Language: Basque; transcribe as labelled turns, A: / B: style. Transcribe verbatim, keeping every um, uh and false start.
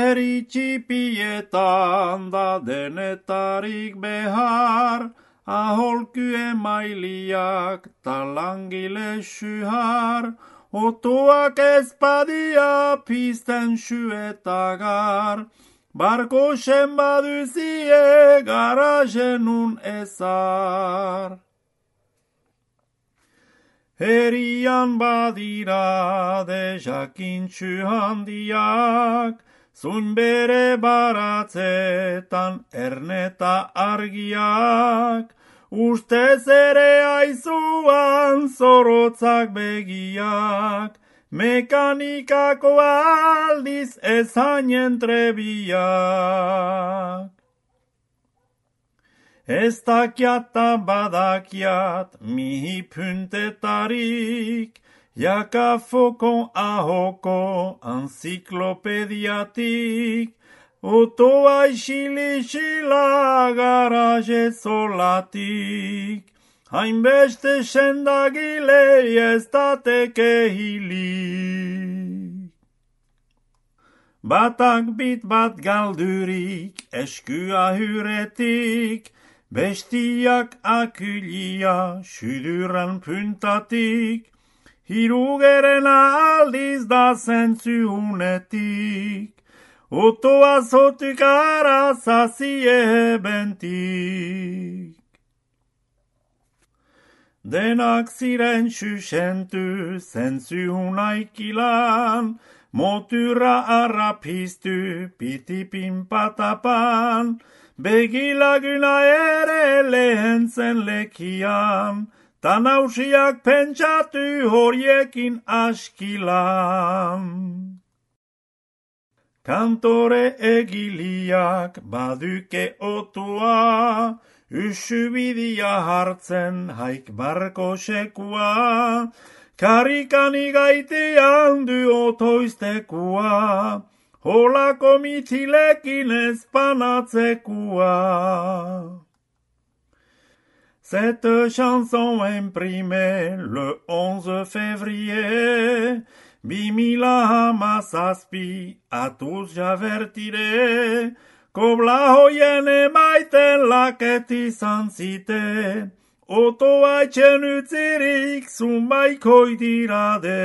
A: herri txipietan da denetarik behar, aholku emailiak talangile syhar, otuak ezpadia pizten syuetagar, barko baduzie garajenun ezar. Herian badira de jakintxu handiak, zuin bere baratzetan erneta argiak, ustez ere aizuan zorotzak begiak, mekanikako aldiz ezainen trebiak. Ez dakiat ta badakiat mihi puntetarik, jakafoko ahoko anziklopediatik, otoa isilixila garaje zolatik, hainbeste sendagile ez dateke hilik. Batak bit bat galdurik eskua hyretik, bestiak akulia syduran puntatik, hirugeren aldiz da zentzu unetik, otoa zotuk arazazie bentik. Denak ziren xuxentu zentzu unaikilan, motura arrapiztu pitipin patapan, begilaguna ere lehen zen lekian, ta nausiak pentsatu horiekin askilan. Kantore egiliak baduke otua, usubidia hartzen haik barko sekua, karikani gaitean du otoiztekua, holako mitilekin espanatsekua. Cette chanson imprimée le onze février, bimila hamazazpi a tous j'avertiré, kobla hoien emaiten laket izan zite, otoa etxen utzirik zunbaiko idirade.